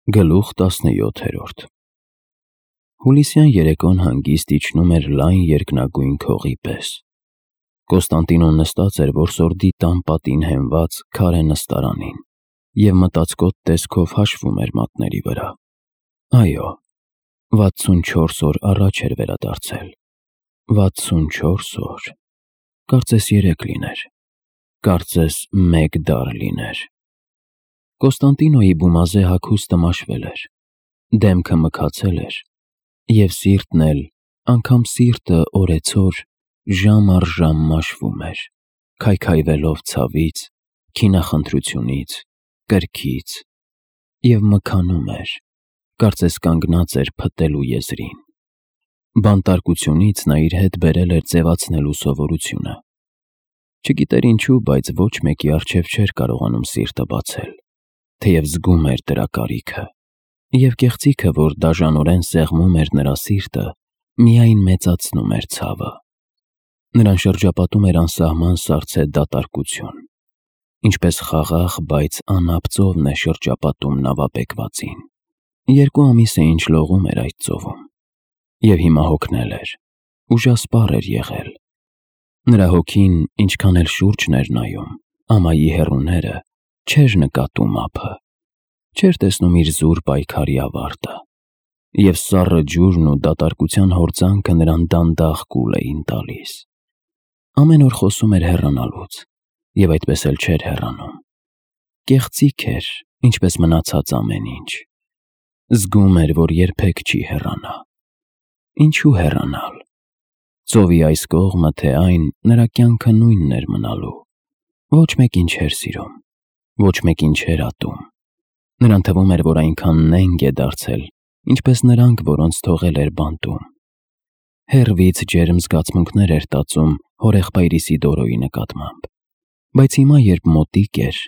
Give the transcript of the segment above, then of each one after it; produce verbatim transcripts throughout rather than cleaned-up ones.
Գլուխ տասնյոթերորդ Հուլիսյան երեկոն հանգիստ իջնում էր լայն երկնագույն քողի պես։ Կոստանդինոն նստած էր որսորդի տան պատին հենված քարե նստարանին և մտածկոտ տեսքով հաշվում էր մատների վրա։ Այո, վաթսունչորս օր առաջ էր վերադարձել։ Վաթսունչորս օր… Կարծես երեկ լիներ, կարծես մեկ դար լիներ։ Կոստանդինոյի բումազե հագուստը մաշվել էր, դեմքը մքացել էր, և սիրտն էլ, անգամ սիրտը օրեցօր, ժամ առ ժամ մաշվում էր, քայքայվելով ցավից, քինախնդրությունից, կրքից, և մքանում էր, կարծես կանգնած էր փտելու եզրին։ Բանտարկությունից նա իր հետ բերել էր ձևացնելու սովորությունը։ Չգիտեր ինչու, բայց ոչ մեկի առջև չէր կարողանում սիրտը բացել, թեև զգում էր դրա կարիքը, և կեղծիքը, որ դաժանորեն սեղմում էր նրա սիրտը, միայն մեծացնում էր ցավը։ Նրան շրջապատում էր անսահման սառցե դատարկություն, ինչպես խաղաղ, բայց անապ ծովն է շրջապատում նավապեկվածին։ Երկու ամիս է ինչ լողում էր այդ ծովում, և հիմա հոգնել էր, ուժասպառ էր եղել։ Նրա հոգին, ինչքան էլ շուրջն էր նայում, ամայի հեռուները, չէր նկատում ափը, չէր տեսնում իր զուր պայքարի ավարտը, և սառը ջուրն ու դատարկության հորձանքը նրան դանդաղ կուլ էին տալիս։ Ամեն օր խոսում էր հեռանալուց, և այդպես էլ չէր հեռանում։ Կեղծիք էր, ինչպես մնացած ամեն ինչ։ Զգում էր, որ երբեք չի հեռանա։ Ինչու հեռանալ։ Ծովի այս կողմը, թե այն, նրա կյանքը նույնն էր մնալու։ Ոչ մեկին չէր սիրում, ոչ մեկին չէր ատում։ Նրան թվում էր, որ այնքան նենգ է դարձել, ինչպես նրանք, որոնց թողել էր բանտում։ Հեռվից ջերմ զգացմունքներ էր տածում հորեղբայր Իսիդորոյի նկատմամբ, բայց հիմա, երբ մոտիկ էր,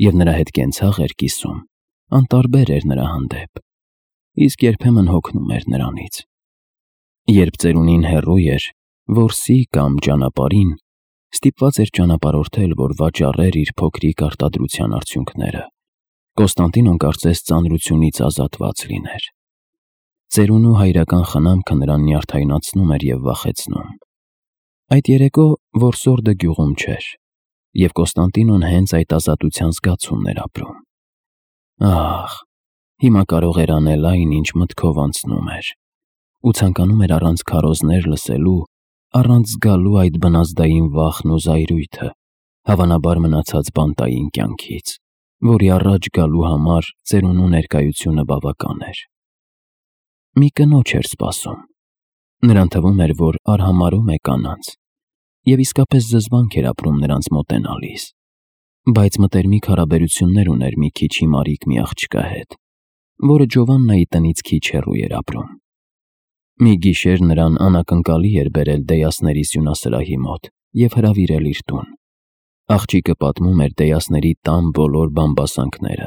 և նրա հետ կենցաղ էր կիսում, անտարբեր էր նրա հանդեպ, իսկ երբեմն հոգնում էր նրանից։ Երբ ծերունին հեռու էր, որսի կամ ճանապարհին, ստիպված էր ճանապարհորդել, որ վաճառեր իր փոքրիկ արտադրության արդյունքները, Կոստանդինոն կարծես ծանրությունից ազատված լիներ։ Ծերունու հայրական խնամքը նրան նյարդայնացնում էր և վախեցնում։ Այդ երեկո որսորդը գյուղում չէր, և Կոստանդինոն հենց այդ ազատության զգացումն էր ապրում։ Ահ, հիմա կարող էր անել այն, ինչ մտքով անցնում էր, ու ցանկանում էր առանց քարոզներ լսելու, առանց զգալու այդ բնազդային վախն ու զայրույթը, հավանաբար մնացած բանտային կյանքից, որի առաջ գալու համար ծերունու ներկայությունը բավական էր։ Մի կնոջ էր սպասում։ Նրան թվում էր, որ արհամարհում է կանանց, և իսկապես զզվանք էր ապրում նրանց մոտենալիս, բայց մտերմիկ հարաբերություններ ուներ մի քիչ հիմարիկ մի աղջկա հետ, որը Ջովաննայի տնից քիչ հեռու էր ապրում։ Մի գիշեր նրան անակնկալի էր բերել Դեյասների սյունասրահի մոտ և հրավիրել իր տուն։ Աղջիկը պատմում էր Դեյասների տան բոլոր բամբասանքները,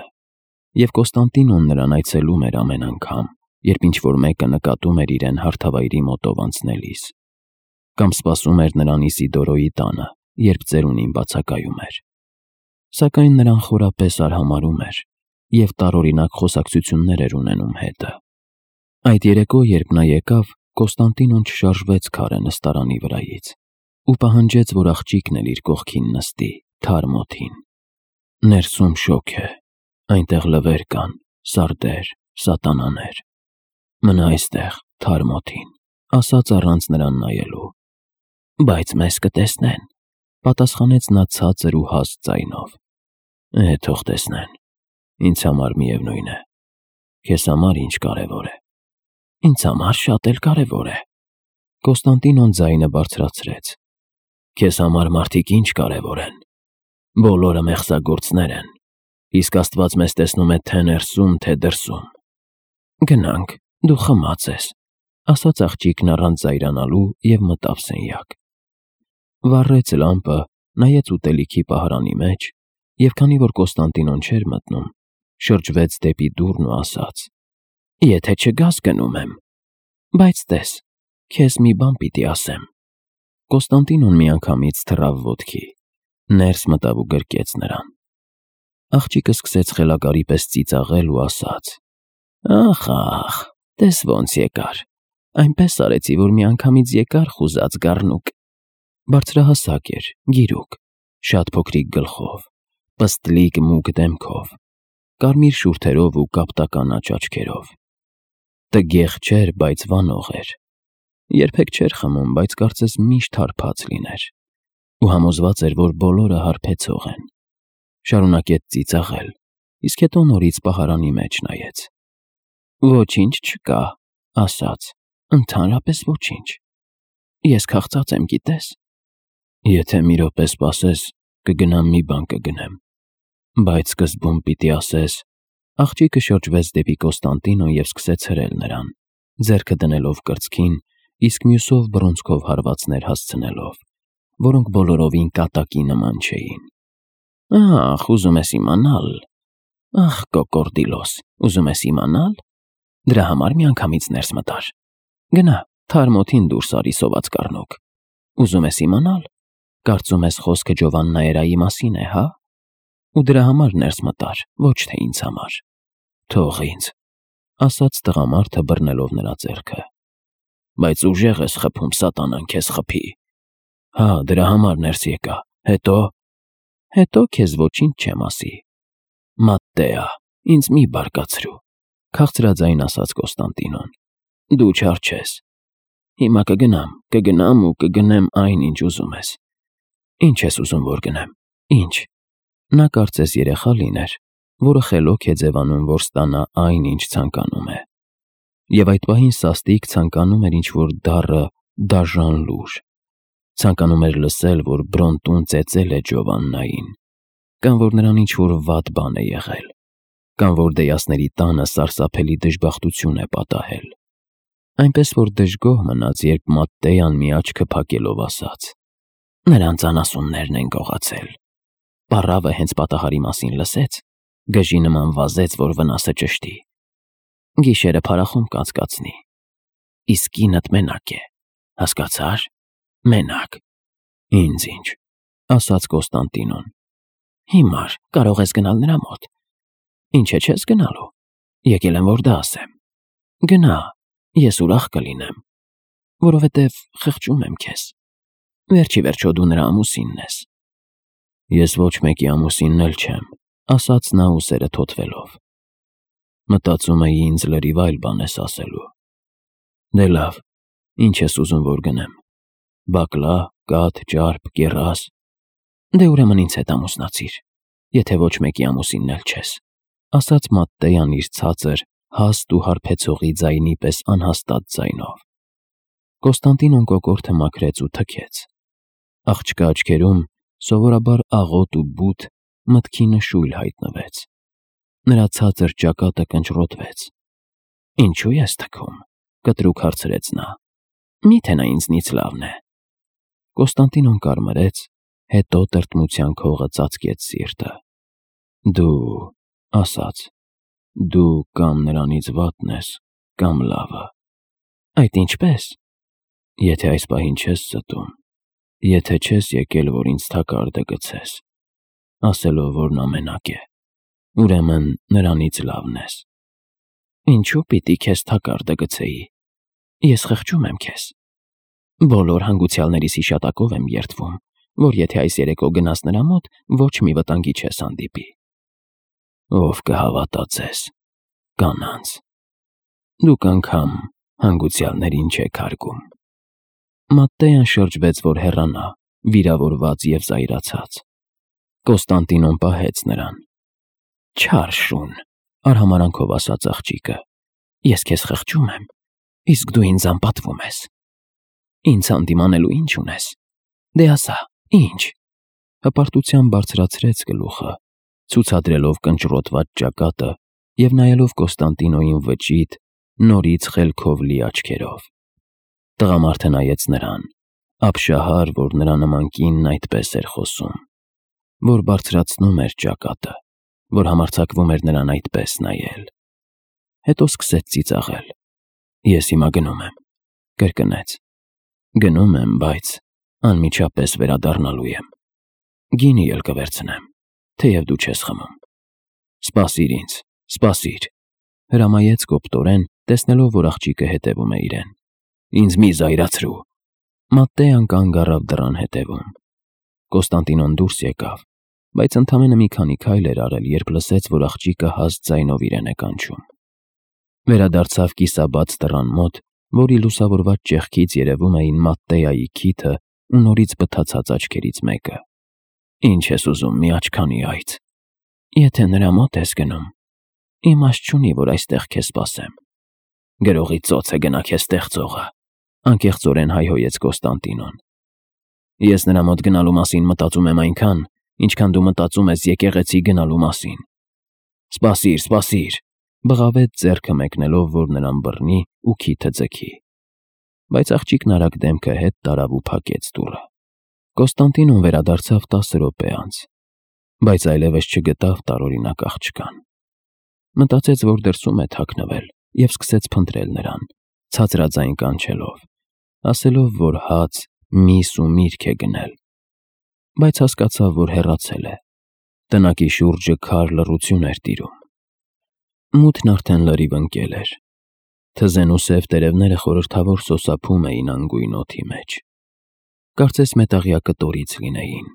և Կոստանդինոն նրան այցելում էր ամեն անգամ, երբ ինչ-որ մեկը նկատում էր իրեն հարթավայրի մոտով անցնելիս, կամ սպասում էր նրան Իսիդորոյի տանը, երբ ծերունին բացակայում էր։ Սակայն նրան խորապես արհամարհում էր և տարօրինակ խոսակցություններ էր ունենում հետը։ Այդ երեկո, երբ նա եկավ, Կոստանդինոն չշարժվեց քարե նստարանի վրայից ու պահանջեց, որ աղջիկն էլ իր կողքին նստի, թարմ օդին։ Ներսում շոգ է, այնտեղ լվեր կան, սարդեր, սատանաներ։ Մնա այստեղ, թարմ օդին, ասաց առանց նրան նայելու։ Բայց մեզ կտեսնեն, պատասխանեց նա ցածր ու հաստ ձայնով։ Է, թող տեսնեն, ինձ համար միևնույն է։ Քեզ համար ինչ կարևոր է։ Ինձ համար շատ էլ կարևոր է։ Կոստանդինոն ձայնը բարձրացրեց։ Քեզ համար մարդիկ ինչ կարևոր են։ Բոլորը մեղսագործներ են, իսկ Աստված մեզ տեսնում է թե ներսում, թե դրսում։ Գնանք, դու խմած ես, ասաց աղջիկն առանց զայրանալու և մտավ սենյակ։ Վառեց լամպը, նայեց ուտելիքի պահարանի մեջ, և քանի որ Կոստանդինոն չէր մտնում, շրջվեց դեպի դուռն ու ասաց. Եթե չգաս, գնում եմ։ Բայց տես, քեզ մի բան պիտի ասեմ։ Կոստանդինոն միանգամից թռավ ոտքի, ներս մտավ ու գրկեց նրան։ Աղջիկը սկսեց խելագարի պես ծիծաղել ու ասաց. Ախ, ախ, տես ոնց եկար, այնպես արեցի, որ միանգամից եկար խուզած գառնուկ, բարձրահասակ էր, գիրուկ, շատ փոքրիկ գլխով, պստլիկ մուգ դեմքով, կարմիր շուրթերով ու կապտականաչ աչքերով, տգեղ չէր, բայց վանող էր, երբեք չէր խմում, բայց կարծես միշտ հարբած լիներ, ու համոզված էր, որ բոլորը հարբեցող են, շարունակեց ծիծաղել, իսկ հետո նորից պահարանի մեջ նայեց. Ոչինչ չկա, ասաց, ընդհանրապես ոչինչ, ես քաղցած եմ, գիտես, եթե մի րոպե սպասես, կգնամ մի բան կգնեմ, բայց սկզբում պիտի ասես, աղջիկը շրջվեց դեպի Կոստանդինո և սկսեց հրել նրան, ձեռքը դնելով կրծքին, իսկ մյուսով բռունցքով հարվածներ հասցնելով, որոնք բոլորովին կատակի նման չէին։ Ախ, ուզում ես իմանալ, ախ, կոկորդիլոս, ուզում ես իմանալ, դրա համար միանգամից ներս մտար, գնա, թարմ օդին դուրս արի սոված կառնուկ, ուզում ես իմանալ, կարծում ես խոսքը Ջովաննայերայի մասին է, հա, ու դրա համար ներս մտար, ոչ թե ինձ համար, թող ինձ, ասաց տղամարդը բռնելով նրա ձեռքը, բայց ուժեղ ես խփում, սատանան քեզ խփի, հա, դրա համար ներս եկա, հետո, հետո քեզ ոչինչ չեմ ասի, Մատտեա, ինձ մի բարկացրու, քաղցրաձայն ասաց Կոստանդինոն, դու չար չես, հիմա կգնամ, կգնամ ու կգնեմ այն, ինչ ուզում ես, ինչ ես ուզում, որ գնեմ, ինչ, նա կարծես երեխա լիներ, որը խելոք է ձևանում, որ ստանա այն, ինչ ցանկանում է, և այդ պահին սաստիկ ցանկանում էր ինչ-որ դառը դաժան լուր, ցանկանում էր լսել, որ Բրոնտուն ծեծել է Ջովաննային, կամ որ նրան ինչ-որ վատ բան է եղել, կամ որ դեյասների տանը սարսափելի դժբախտություն է պատահել, այնպես որ դժգոհ մնաց, երբ Մատտեան մի աչքը փակելով ասաց. Նրանց անասուններն են գողացել, պառավը հենց պատահարի մասին լսեց, գժի նման վազեց, որ վնասը ճշտի, գիշերը փարախում կացկացնի, իսկ կինդ մենակ է, հասկացար, մենակ, ինձ ինչ, ասաց Կոստանդինոն, հիմար, կարող ես գնալ նրա մոտ, ինչ է չես գնալու, եկել եմ, որ դա ասեմ, գնա, ես ուրախ կլինեմ, որովհետև խղճում եմ քեզ, վերջի վերջո դու նրա ամուսինն ես, ես ոչ մեկի ամուսինն էլ չեմ, ասաց նա ուսերը թոթվելով, մտածում էի ինձ լրիվ այլ բան ես ասելու, դե լավ, ինչ ես ուզում, որ գնեմ, բակլա, կաթ, ճարպ, կեռաս, դե ուրեմն ինձ հետ ամուսնացիր, եթե ոչ մեկի ամուսինն էլ չես, ասաց Մատտեան իր ցածր, հաստ ու հարբեցողի ձայնի պես անհաստատ ձայնով, Կոստանդինոն կոկորդը մաքրեց ու թքեց, աղջկա աչքերում սովորաբար աղոտ ու բութ մտքի նշույլ հայտնվեց, նրա ցածր ճակատը կնճռոտվեց, ինչու ես թքում, կտրուկ հարցրեց նա, միթե նա ինձնից լավն է, Կոստանդինոն կարմրեց, հետո տրտմության քողը ծածկեց սիրտը, դու, ասաց, դու կամ նրանից վատն ես, կամ լավը, այդ ինչպես, եթե այս պահին չես ստում, եթե չես եկել, որ ինձ թակարդը գցես, ասելով, որ նա մենակ է, ուրեմն նրանից լավն ես, ինչու պիտի քեզ թակարդը գցեի, ես խղճում եմ քեզ, բոլոր հանգուցյալներիս հիշատակով եմ երդվում, որ եթե այս երեկո գնաս նրա մոտ, ոչ մի վտանգի չես հանդիպի, ով կհավատա ձեզ, կանանց, դուք անգամ հանգուցյալներին չեք հարգում, Մատտեան շրջվեց, որ հեռանա, վիրավորված և զայրացած, Կոստանդինոն պահեց նրան, չար շուն, արհամարանքով ասաց աղջիկը, ես քեզ խղճում եմ, իսկ դու ինձ անպատվում ես, ինձ հանդիմանելու ինչ ունես, դե ասա, ինչ, հպարտությամբ բարձրացրեց գլուխը, ցուցադրելով կնճռոտված ճակատը և նայելով Կոստանդինոյին վճիտ, նորից խելքով լի աչքերով, տղամարդը նայեց նրան, ապշահար, որ նրա նման կինն այդպես էր խոսում, որ բարձրացնում էր ճակատը, որ համարձակվում էր նրան այդպես նայել, հետո սկսեց ծիծաղել, ես հիմա գնում եմ, կրկնեց, գնում եմ, բայց անմիջապես վերադառնալու եմ, գինի էլ կվերցնեմ, թեև դու չես խմում, սպասիր ինձ, սպասիր, Հրամայեց կոպտորեն, տեսնելով, որ աղջիկը հետևում է իրեն։ Ինձ մի զայրացրու։ Մատտեան կանգ առավ դռան հետևում։ Կոստանդինոն դուրս եկավ, բայց ընդամենը մի քանի քայլ էր արել, երբ լսեց, որ աղջիկը հաստ ձայնով իրեն է կանչում։ Վերադարձավ կիսաբաց դռան մոտ, որի լուսավորված ճեղքից երևում էին Մատտեայի քիթը ու նորից բթացած աչքերից մեկը։ Ինչ ես ուզում, մի աչքանի այծ։ Եթե նրա մոտ ես գնում, իմաստ չունի, որ այստեղ քեզ սպասեմ։ Գրողի ծոցը գնա քեզ ստեղծողը, անկեղծորեն հայհոյեց Կոստանդինոն։ Ես նրա մոտ գնալու մասին մտածում եմ այնքան, ինչքան դու մտածում ես եկեղեցի գնալու մասին։ Սպասիր, սպասիր, բղավեց ձեռքը մեկնելով, որ նրան բռնի ու քիթը ձգի։ Բայց աղջիկն արագ դեմքը հետ տարավ ու փակեց դուռը։ Կոստանդինոն վերադարձավ տասը րոպե անց, բայց այլևս չգտավ տարօրինակ աղջկան։ Մտածեց, որ դրսում է թաքնվել, և սկսեց փնտրել նրան, ցածրաձայն կանչելով, ասելով, որ հաց, միս ու միրգ է գնել։ Բայց հասկացավ, որ հեռացել է։ Տնակի շուրջը քար լռություն էր տիրում։ Մութն արդեն լրիվ ընկել էր։ Թզեն ու սև տերևները խորհրդավոր սոսափում էին անգույն օդի մեջ։ Կարծես մետաղյա կտորից լինեին,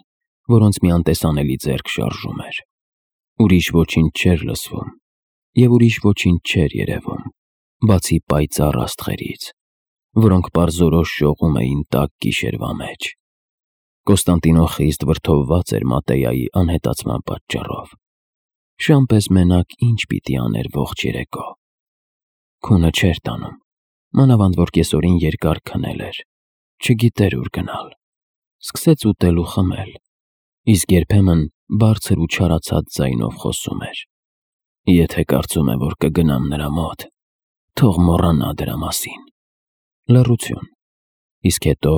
որոնց մի անտեսանելի ձեռք շարժում էր։ Ուրիշ ոչինչ չէր լսվում, և ուրիշ ոչինչ չէր երևում, բացի պայծառ աստղերից, որոնք պարզորոշ շողում էին տաք գիշերվա մեջ։ Կոստանդինոն խիստ վրդովված էր Մատտեայի անհետացման պատճառով։ Շան պես մենակ ինչ պիտի աներ ողջ երեկո։ Քունը չէր տանում, մանավանդ որ կեսօրին երկար քնել էր, չգիտեր ուր գնալ։ Սկսեց ուտել ու խմել, իսկ երբեմն բարձր ու չարացած ձայնով խոսում էր։ Եթե կարծում է, որ կգնամ նրա մոտ, թող մոռանա դրա մասին։ Լռություն, իսկ հետո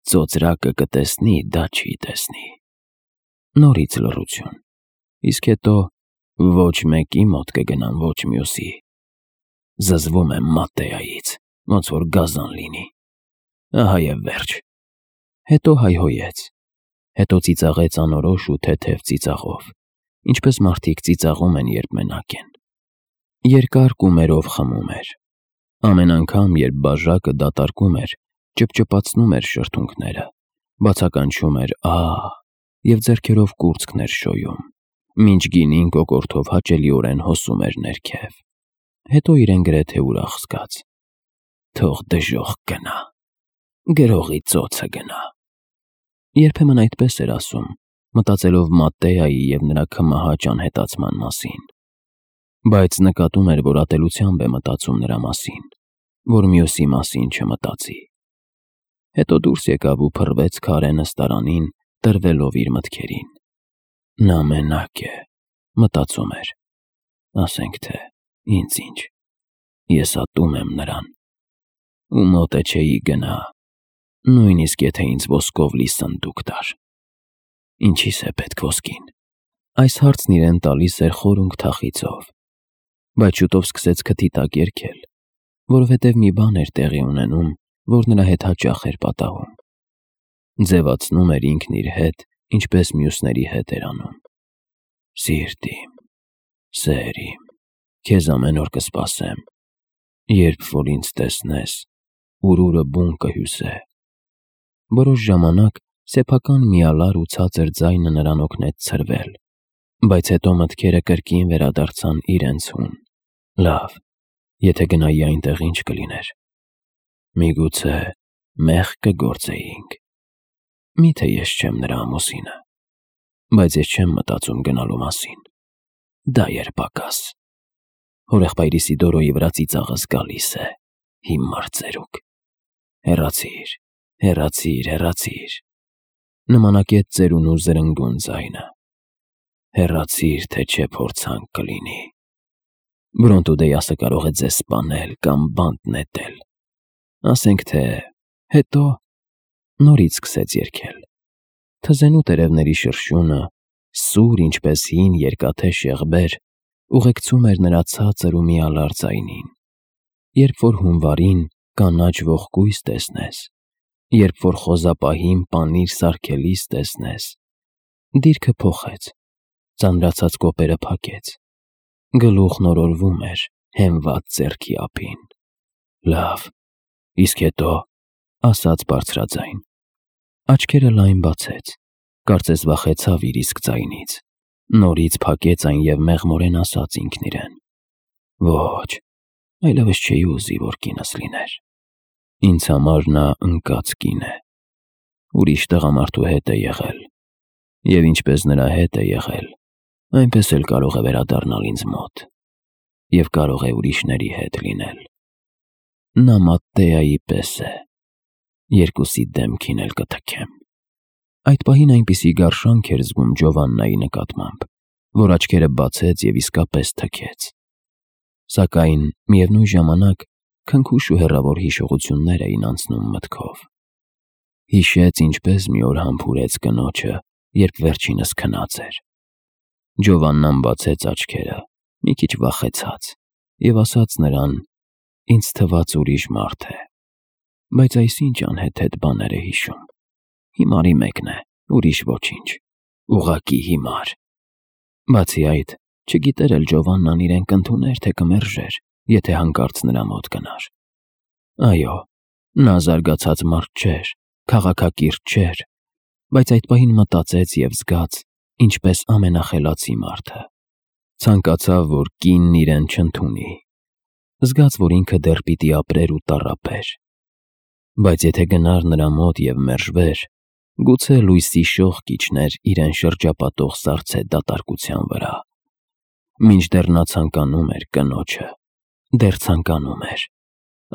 ծոծրակը կտեսնի, դա չի տեսնի։ Նորից լռություն, իսկ հետո ոչ մեկի մոտ կգնամ, ոչ մյուսի։ Զզվում եմ Մատտեայից, ոնց որ գազան լինի։ Ահա և վերջ։ Հետո հայհոյեց, հետո ծիծաղեց անորոշ ու թեթև ծիծաղով, ինչպես մարդիկ ծիծաղում են, երբ մենակ են։ Երկար կումերով խմում էր։ Ամեն անգամ, երբ բաժակը դատարկում էր, ճպճպացնում էր շրթունքները, բացականչում էր «ահ» և ձեռքերով կուրծքն էր շոյում, մինչ գինին կոկորդով հաճելիորեն հոսում էր ներքև։ Հետո իրեն գրեթե ուրախ զգաց։ Թող դժոխք գնա, գրողի ծոցը գնա։ Երբեմն այդպես էր ասում, մտածելով Մատտեայի և նրա քմահաճ անհետացման մասին։ Բայց նկատում էր, որ ատելությամբ է մտածում նրա մասին, որ մյուսի մասին չմտածի։ Հետո դուրս եկավ ու փռվեց քարե նստարանին, տրվելով իր մտքերին։ Նա մենակ է, մտածում էր, ասենք թե ինձ ինչ, ես ատում եմ նրան, ու մոտ է չէի գնա, նույնիսկ եթե ինձ ոսկով լի սնդուկ տար։ Ինչի՞ս է պետք ոսկին։ Այս հարցն իրեն տալիս էր խորունգ թախիծով, բայց շուտով սկսեց քթի տակ երգել, որովհետև մի բան էր տեղի ունենում, որ նրա հետ հաճախ էր պատահում։ Ձևացնում էր ինքն իր հետ, ինչպես մյուսների հետ էր անում։ Սիրտ իմ, սեր իմ, քեզ ամեն օր կսպասեմ, երբ որ ինձ տեսնես, ուրուրը բուն կհյուսե։ Որոշ ժամանակ սեփական միալար ու ցածր ձայնը նրան օգնեց ցրվել, բայց հետո մտքերը կրկին վերադարձան իրենց հուն։ Լավ, եթե գնայի այնտեղ, ինչ կլիներ։ Միգուցե մեղք կգործեինք։ Միթե ես չեմ նրա ամուսինը, բայց ես չեմ մտածում գնալու մասին։ Դա երբակաս։ Հորեղբայր Իսիդորոյի վրա ծիծաղս գալիս է, հիմար ծերուկ։ Հեռացիր, հեռացիր, հեռացիր։ Նմանակեց ծերունու զրնգուն ձայնը։ Հեռացիր, թե չէ փորձանք կլինի։ Բրոնտոդեյասը կարող է ձեզ սպանել կամ բանտ նետել։ Ասենք թե հետո նորից սկսեց երգել։ Թզենու տերևների շրշյունը, սուր ինչպես հին երկաթե շեղբեր, ուղեկցում էր նրա ցածր ու միալար ձայնին։ Երբ որ հունվարին կանաչ ողկույզ տեսնես, երբ որ խոզապահին պանիր սարքելիս տեսնես, դիրքը փոխեց, ծանրացած կոպերը փակեց, գլուխն օրորվում էր, հենված ձեռքի ափին։ Լավ, իսկ հետո, ասաց բարձրաձայն։ Աչքերը լայն բացեց, կարծես վախեցավ իր իսկ ձայնից։ Նորից փակեց այն և մեղմորեն ասաց ինքն իրեն. Ոչ, այլևս չէի ուզի, որ կինս լիներ։ Ինձ համար նա ընկած կին է։ Ուրիշ տղամարդու հետ է եղել, և ինչպես նրա հետ է եղել, այնպես էլ կարող է վերադառնալ ինձ մոտ, և կարող է ուրիշների հետ լինել։ Նա Մատտեայի պես է, երկուսի դեմքին էլ կթքեմ։ Այդ պահին այնպիսի գարշանք էր զգում Ջովաննայի նկատմամբ, որ աչքերը բացեց և իսկապես թքեց։ Սակայն միևնույն ժամանակ քնքուշ ու հեռավոր հիշողություններ էին անցնում մտքով։ Հիշեց, ինչպես մի օր համբուրեց կնոջը, երբ վերջինս քնած էր։ Ջովաննան բացեց աչքերը, մի քիչ վախեցած, և ասաց նրան. «Ինձ թվաց ուրիշ մարդ է, բայց այս ինչ անհեթեթ բաներ է հիշում։ Հիմարի մեկն է, ուրիշ ոչինչ, ուղղակի հիմար»։ Բացի այդ, չգիտեր էլ Ջովաննան իրեն կընդուներ, թե կմերժեր, եթե հանկարծ նրա մոտ գնար։ Այո, նա զարգացած մարդ չէր, քաղաքակիրթ չէր, բայց այդ պահին մտածեց և զգաց, ինչպես ամենախելացի մարդը։ Ցանկացավ, որ կինն իրեն չընդունի։ Զգաց, որ ինքը դեռ պիտի ապրեր ու տառապեր։ Բայց եթե գնար նրա մոտ և մերժվեր, գուցե լույսի շող կիջներ իրեն շրջապատող սառցե դատարկության վրա։ Մինչդեռ նա ցանկանում էր կնոջը, դեռ ցանկանում էր։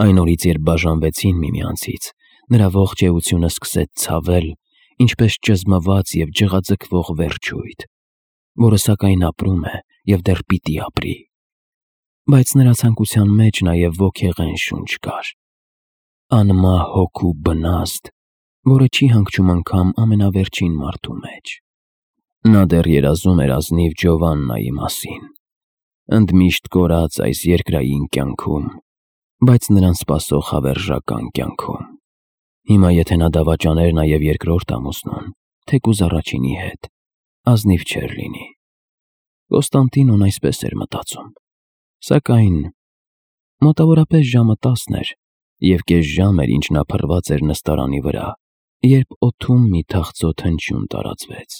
Այն օրից, երբ բաժանվեցին միմյանցից, նրա ողջ էությունը սկսեց ցավել, ինչպես ճզմված և ջղաձգվող վերջույթ, որը սակայն ապրում է և դեռ պիտի ապրի։ Բայց նրա ցանկության մեջ նաև ոգեղեն շունչ կար, անմահ հոգու բնազդ, որը չի հանգչում անգամ ամենավերջին մարդու մեջ։ Նա դեռ երազում էր ազնիվ Ջովաննայի մասին, ընդմիշտ կորած այս երկրային կյանքում, բայց նրան սպասող հավերժական կյանքում։ Հիմա եթե նա դավաճաներ նաև երկրորդ ամուսնուն, թեկուզ առաջինի հետ, ազնիվ չէր լինի։ Կոստանդինոն այսպես էր մտածում։ Սակայն մոտավորապես ժամը տասն էր, և կես ժամ էր, ինչ նա փռված էր նստարանի վրա, երբ օդում մի թախծոտ հնչյուն տարածվեց։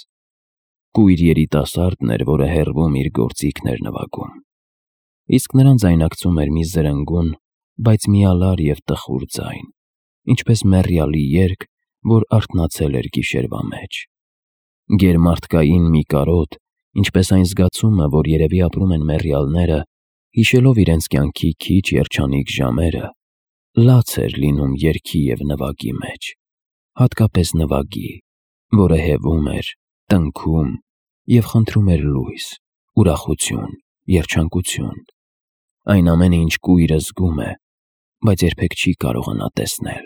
Կույր երիտասարդն էր, որը հեռվում իր գործիքն էր նվագում։ Իսկ նրան ձայնակցում էր մի զրնգուն, բայց միալար և տխուր ձայն, ինչպես մեռյալի երգ, որ արթնացել էր գիշերվա մեջ։ Գերմարդկային մի կարոտ, ինչպես այն զգացումը, որ երևի ապրում են մեռյալները, հիշելով իրենց կյանքի քիչ երջանիկ ժամերը, լաց էր լինում երգի և նվագի մեջ, հատկապես նվագի, որը հևում էր, տնքում և խնդրում էր լույս, ուրախություն, երջանկություն, այն ամենը, ինչ կույրը զգում է, բայց երբեք չի կարողանա տեսնել,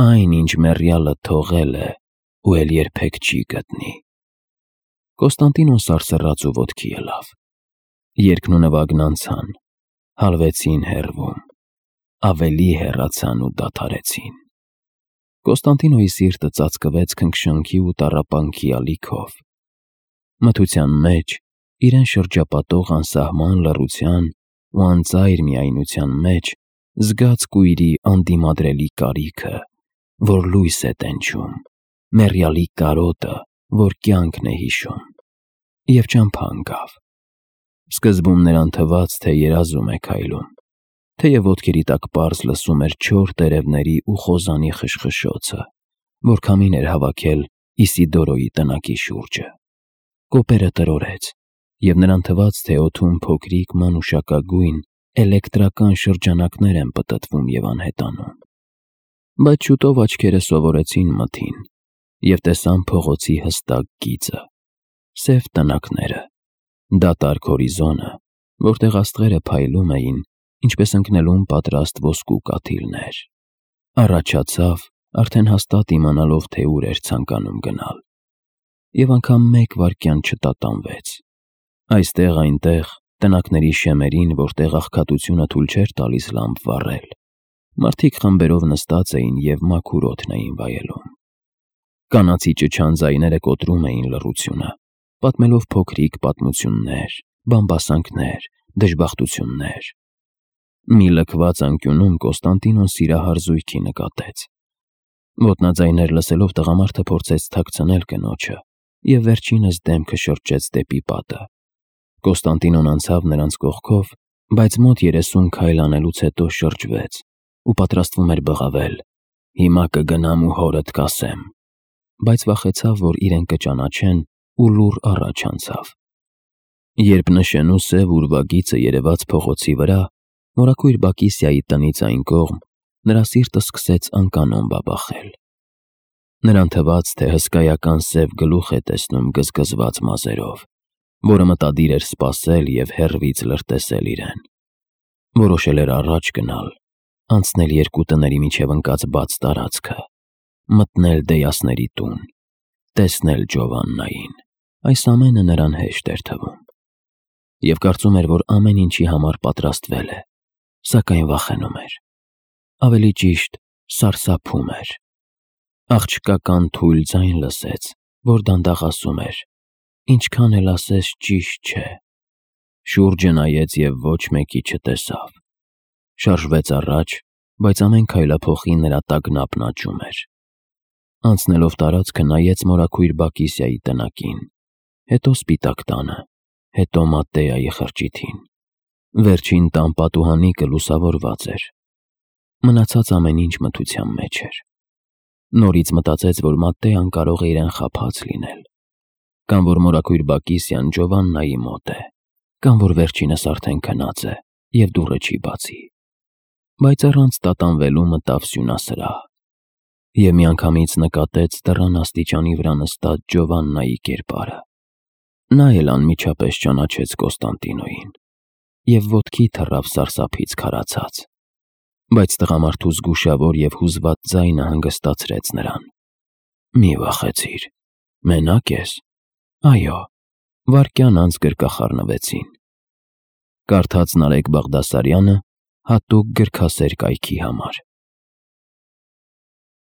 այն, ինչ մեռյալը թողել է ու էլ երբեք չի գտնի։ Կոստանդինոն սարսռաց ու ոտքի ելավ։ Երգն ու նվագն անցան, հալվեցին հեռվում, ավելի հեռացան ու դադարեցին։ Կոստանդինոյի սիրտը ծածկվեց քնքշանքի ու տառապանքի ալիքով։ Մթության մեջ, իրեն շրջապատող անսահման լռության ու անծայր միայնության մեջ, զգաց կույրի անդիմադրելի կարիքը, որ լույս է տենչում, մեռյալի կարոտը, որ կյանքն է հիշում, և ճամփա ընկավ։ Սկզբում նրան թվաց, թե երազում է քայլում, թեև ոտքերի տակ պարզ լսում էր չոր տերևների ու խոզանի խշխշոցը, որ քամին էր հավաքել Իսիդորոյի տնակի շուրջը։ Կոպերը տրորեց, և նրան թվաց, թե օդում փոքրիկ մանուշակագույն էլեկտրական շրջանակներ են պտտվում և անհետանում։ Բայց շուտով աչքերը սովորեցին մթին, և տեսան փողոցի հստակ գիծը, սև տնակները, դատարկ հորիզոնը, որտեղ աստղերը փայլում էին, ինչպես ընկնելուն պատրաստ ոսկու կաթիլներ։ Առաջացավ, արդեն հաստատ իմանալով, թե ուր էր ցանկանում գնալ, և անգամ մեկ վայրկյան չտատանվեց։ Այստեղ-այնտեղ, տնակների շեմերին, որտեղ աղքատությունը թույլ չէր տալիս լամբ վառել, մարդիկ խմբերով նստած էին և մաքուր օդն էին վայելում։ Կանացի ճչան ձայները կոտրում էին լռությունը, պատմելով փոքրիկ պատմություններ, բամբասանքներ, դժբախտություններ, Մի լքված անկյունում Կոստանդինոն սիրահար զույգի նկատեց։ Ոտնաձայներ լսելով տղամարդը փորձեց թաքցնել կնոջը և վերջինս դեմքը շրջեց դեպի պատը։ Կոստանդինոն անցավ նրանց կողքով, բայց մոտ երեսուն քայլ անելուց հետո շրջվեց ու պատրաստվում էր բղավել. «Հիմա կգնամ ու հորդ կասեմ», բայց վախեցավ, որ իրեն կճանաչեն ու լուռ առաջ անցավ։ Երբ նշեն ու սև ուրվագիծը երևաց փողոցի վրա, մորաքույր Բակիսիայի տնից այն կողմ, նրա սիրտը սկսեց անկանոն բաբախել։ Նրան թվաց, թե հսկայական սև գլուխ է տեսնում գզգզված մազերով, որը մտադիր էր սպասել և հեռվից լրտեսել իրեն։ Որոշել էր առաջ գնալ, անցնել երկու տների միջև ընկած բաց տարածքը, մտնել Դեյասների տուն, տեսնել Ջովաննային։ Այս ամենը նրան հեշտ էր թվում և կարծում էր, որ ամեն ինչի համար պատրաստվել է, սակայն վախենում էր։ Ավելի ճիշտ, սարսափում էր։ Աղջկական թույլ ձայն լսեց, որ դանդաղ ասում էր. «Ինչքան էլ ասես, ճիշտ չէ»։ Շուրջը նայեց և ոչ մեկի չտեսավ։ Շարժվեց առաջ, բայց ամեն քայլափոխի նրա տագնապն աճում էր։ Անցնելով տարածքը նայեց մորաքույր Բակիսիայի տնակին, հետո սպիտակ տանը, հետո Մատտեայի խրճիթին։ Վերջին տան պատուհանիկը լուսավորված էր։ Մնացած ամեն ինչ մթության մեջ էր։ Նորից մտածեց, որ Մատտեան կարող է իրեն խաբած լինել, կամ որ մորաքույր Բակիսիան Ջովաննայի մոտ է, կամ որ վերջինս արդեն քնած է և դուռը չի բացի։ Բայց առանց տատանվելու մտավ սյունասրահ և միանգամից նկատեց դռան աստիճանի վրա նստած Ջովաննայի կերպարը։ Նա էլ անմիջապես ճանաչեց Կոստանդինոյին և ոտքի թռավ սարսափից քարացած։ Բայց տղամարդու զգուշավոր և հուզված ձայնը հանգստացրեց նրան։ «Մի վախեցիր, մենա՞կ ես»։ «Այո»։ Վայրկյան անց գրկախառնվեցին։ Կարդաց Նարեկ Բաղդասարյանը հատուկ գրքասեր կայքի համար։